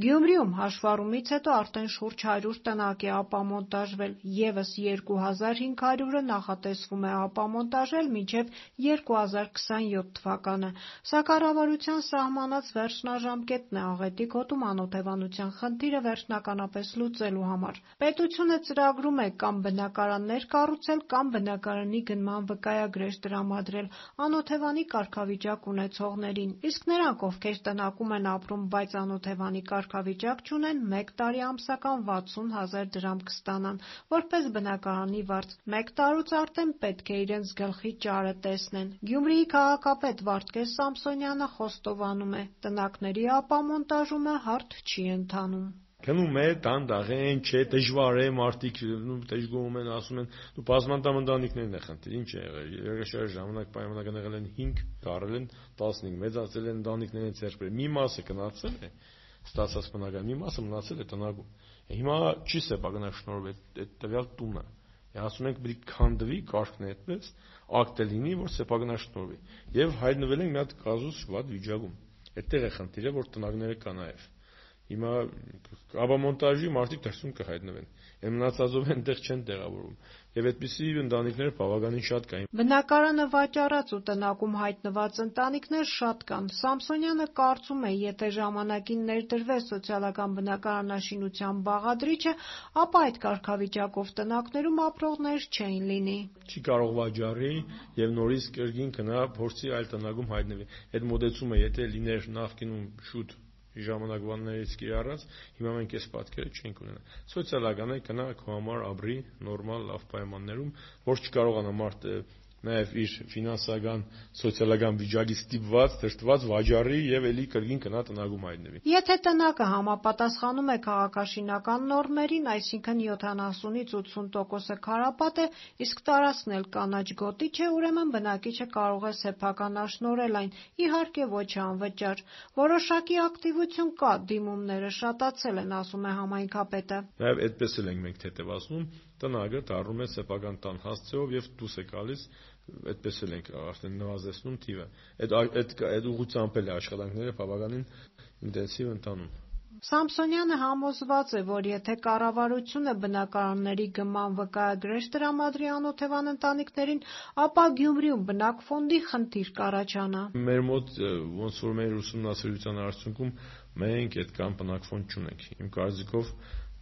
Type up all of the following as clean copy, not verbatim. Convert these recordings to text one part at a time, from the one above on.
Գյումրիում հաշվառումից հետո արդեն շուրջ 100 տնակ է ապամոնտաժվել, ևս 2500-ը նախատեսվում է ապամոնտաժել մինչև 2027 թվականը, սա կառավարության սահմանած վերջնաժամկետն է աղետի գոտում անօթևանության խնդիրը վերջնականապես լուծելու համար։ Պետությունը ծրագրում է կամ բնակարաններ կառուցել, կամ բնակարանի գնման վկայագրեր տրամադրել անօթևանի կարգավիճակ ունեցողներին, իսկ նրանք, ովքեր տնակում են ապրում, բայց անօթևանի կարգավիճակ չունեն, 1 տարի ամսական 60 000 դրամ կստանան, որպես բնակարանի վարձ։ 1 տարուց արդեն պետք է իրենց գլխի ճարը տեսնեն։ Գյումրիի քաղաքապետ Վարդգես Սամսոնյանը խոստովանում է՝ տնակների ապամոնտաժումը հարթ չի ընթանում։ Գնում է, դանդաղեն, չէ, դժվար է, մարդիկ դժգոհում են, ասում են, բազմանդամ ընտանիքներն է խնդիր, ինչ է եղել, երկրաշարժ ժամանակ պայմանական եղել են 5, դարել են 15, մեծացել են ընտանիքներին ձեռք բերել, մի մասը գնացել է, ստացած բնակարան, մի մասը մնացել է տնագում։ Հիմա չի սեփականաշնորհվել այդ տվյալ տունը։ Ասում ենք պետք է քանդվի, կարգն է այդպես, ակտ է լինի, որ սեփականաշնորհվի։ Եվ հայտնվել ենք մի հատ կազուս վատ վիճակում։ Այդտեղ է խնդիրը, որ տնագները կա նաև։ Հիմա ապամոնտաժի մարդիկ դրսում կհայտնվեն, մնացածով այնտեղ չեն տեղավորվում, եւ այդպիսի ընտանիքներ բավականին շատ կային։ Բնակարանը վաճառած ու տնակում հայտնված ընտանիքներ շատ կան։ Սամսոնյանը կարծում է, եթե ժամանակին ներդրվեր սոցիալական բնակարանաշինության բաղադրիչը, ապա այդ կարգավիճակով տնակներում ապրողներ չէին լինի։ Չի կարող վաճառի եւ նորից կրկին գնա փորձի այլ տնակում հայտնվի։ Այդ մոտեցումը եթե լիներ նախկինում շուտ ժամանակվաններից կիրառած, հիմա մենք այս պատկերը չենք ունենա։ Սոցիալական է գնա քո համար ապրի նորմալ լավ պայմաններում, որ չկարողանա մարդը նաև իր ֆինանսական, սոցիալական վիճակից ստիպված, դրդված վաճառի եւ էլի կրկին գնա տնագում հայտնվի։ Եթե տնակը համապատասխանում է քաղաքաշինական նորմերին, այսինքն 70-ից 80%-ը քարապատ է, իսկ տարածքն էլ կանաչ գոտի չէ, ուրեմն բնակիչը կարող է սեփականաշնորհել այն, իհարկե ոչ անվճար։ Որոշակի ակտիվություն կա, դիմումները շատացել են, ասում է համայնքապետը։ Նաև այդպես էլ ենք մենք թեթևացնում, տնագը դառնում է սեփական տան հասցեով եւ դուրս է գալիս, այդպես էլ ենք արդեն նվազեցնում թիվը։ Այդ ուղղությամբ էլ աշխատանքները բավականին ինտենսիվ ընթանում։ Սամսոնյանը համոզված է, որ եթե կառավարությունը բնակարանների գնման վկայագրեր տրամադրի անօթևան ընտանիքներին, ապա Գյումրիում բնակֆոնդի խնդիր կառաջանա։ Մեր մոտ ոնց որ մեր ուսումնասիրության արդյունքում մենք այդքան բնակֆոնդ չունենք։ Իմ կարծիքով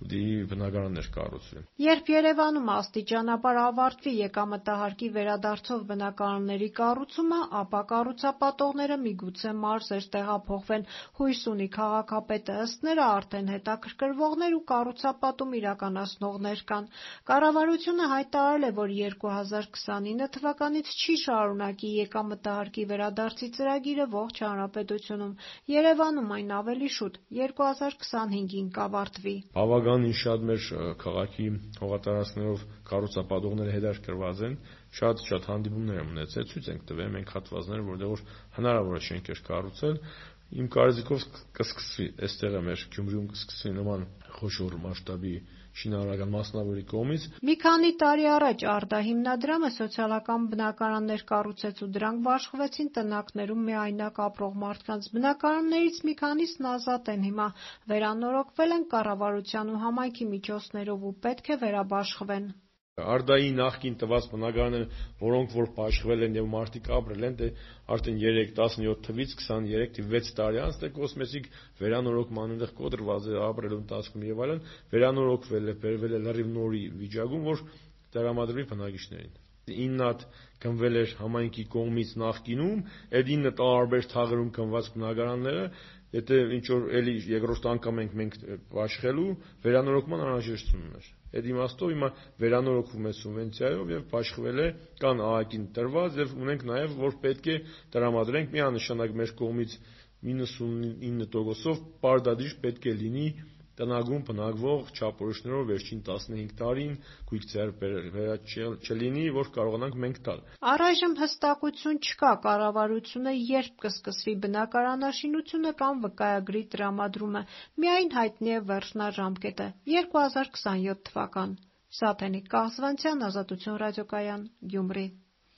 բնակարաններ կառուցվեն։ Երբ Երևանում աստիճանաբար ավարտվի եկամտահարկի վերադարձով բնակարանների կառուցումը, ապա կառուցապատողները միգուցե մարզեր տեղափոխվեն, հույս ունի քաղաքապետը, ըստ նրա արդեն հետաքրքրվողներ ու կառուցապատում իրականացնողներ կան։ Կառավարությունը հայտարարել է, որ 2029 թվականից չի շարունակի եկամտահարկի վերադարձի ծրագիրը ողջ հանրապետությունում։ Երևանում այն ավելի շուտ 2025-ին կավարտվի։ Բավականին շատ մեր քաղաքի հողատարածքներով կառուցապատողները հետաքրքրված են, շատ հանդիպումներ եմ ունեցել, ցույց ենք տվել մենք հատվածներ, որտեղ որ հնարավոր է շենքեր կառուցել։ Իմ կարծիքով կսկսվի, այստեղ է մեր Գյումրիում կսկսվի նման խոշոր մասշտաբի շինարարական մասնավորի կողմից։ Մի քանի տարի առաջ Արտա հիմնադրամը սոցիալական բնակարաններ կառուցեց ու դրանք բաշխվեցին տնակներում միայնակ ապրող մարդկանց։ Բնակարաններից մի քանիսն ազատ են հիմա, վերանորոգվել են կառավարության ու համայնքի միջոցներով ու պետք է վերաբաշխվեն։ Արդայի նախկին տված բնակարանները, որոնք որ բաշխվել են եւ մարդիկ ապրել են, արդեն 17 թվից 23 թիվ 6 տարի անց կոսմետիկ վերանորոգման այնտեղ կոտրված է ապրելու ընթացքում եւ այլն, վերանորոգվել է, բերվել է լրիվ նորի վիճակում, որ տրամադրվի բնակիչներին։ 9 հատ գնվել էր համայնքի կողմից նախկինում, այդ 9 տարբեր թաղերում գնված բնակարանները, եթե ինչ որ էլի երկրորդ անգամ ենք բաշխելու, վերանորոգման անհրաժեշտություն ուներ։ Այդ իմաստով հիմա վերանորոգվում է սուբվենցիայով եւ բաշխվել է, կան ԱԱԿ-ին տրված եւ ունենք նաեւ որ պետք է տրամադրենք միանշանակ մեր կողմից 99%-ով պարտադիր պետք է լինի տնագում բնակվող չափորոշիչներով վերջին 15 տարին գույք ձեռք չլինի, որ կարողանանք մենք տալ։ Առայժմ հստակություն չկա կառավարությունը երբ կսկսվի բնակարանաշինությունը կամ վկայագրի տրամադրումը, միայն հայտնի է վերջնաժամկետը՝ 2027 թվական։ Սաթենիկ Կաղզվանցյան, Ազատություն ռադիոկայան, Գյումրի։